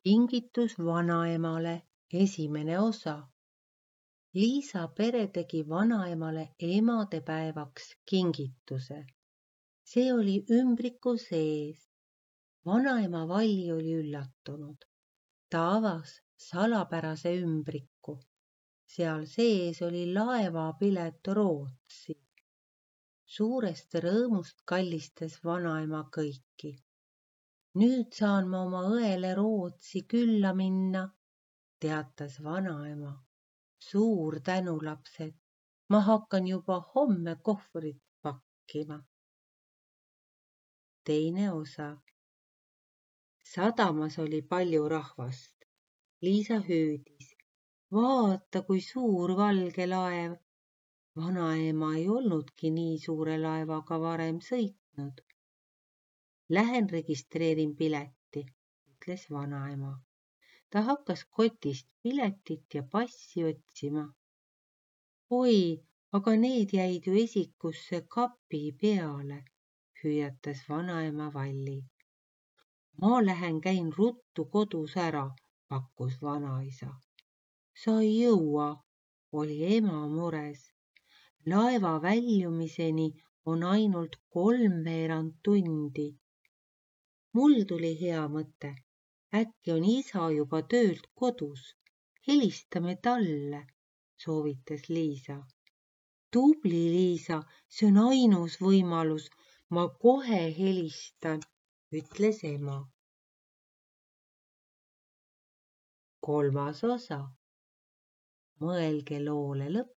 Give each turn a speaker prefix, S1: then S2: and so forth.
S1: Kingitus vanaemale esimene osa. Liisa pere tegi vanaemale emadepäevaks kingituse. See oli ümbriku sees. Vanaema Valli oli üllatunud. Ta avas salapärase ümbriku. Seal sees oli laevapilet Rootsi. Suurest rõõmust kallistas vanaema kõiki. Nüüd saan ma oma õele Rootsi külla minna, teatas vanaema. Suur tänu, lapsed, ma hakkan juba homme kohvrit pakkima. Teine osa. Sadamas oli palju rahvast. Liisa hüüdis. Vaata, kui suur valge laev. Vanaema ei olnudki nii suure laevaga varem sõitnud. Lähen registreerin pileti, ütles vanaema. Ta hakkas kotist piletit ja passi otsima. Oi, aga need jäid ju esikusse kapi peale, hüüatas vanaema Valli. Ma lähen käin ruttu kodus ära, pakkus vanaisa. Sa ei jõua, oli ema mures. Laeva väljumiseni on ainult 3/4 tundi. Mul tuli hea mõte. Äkki on isa juba töölt kodus. Helistame talle, soovitas Liisa. Tubli, Liisa, see on ainus võimalus. Ma kohe helistan, ütles ema. Kolmas osa. Mõelge loole lõpp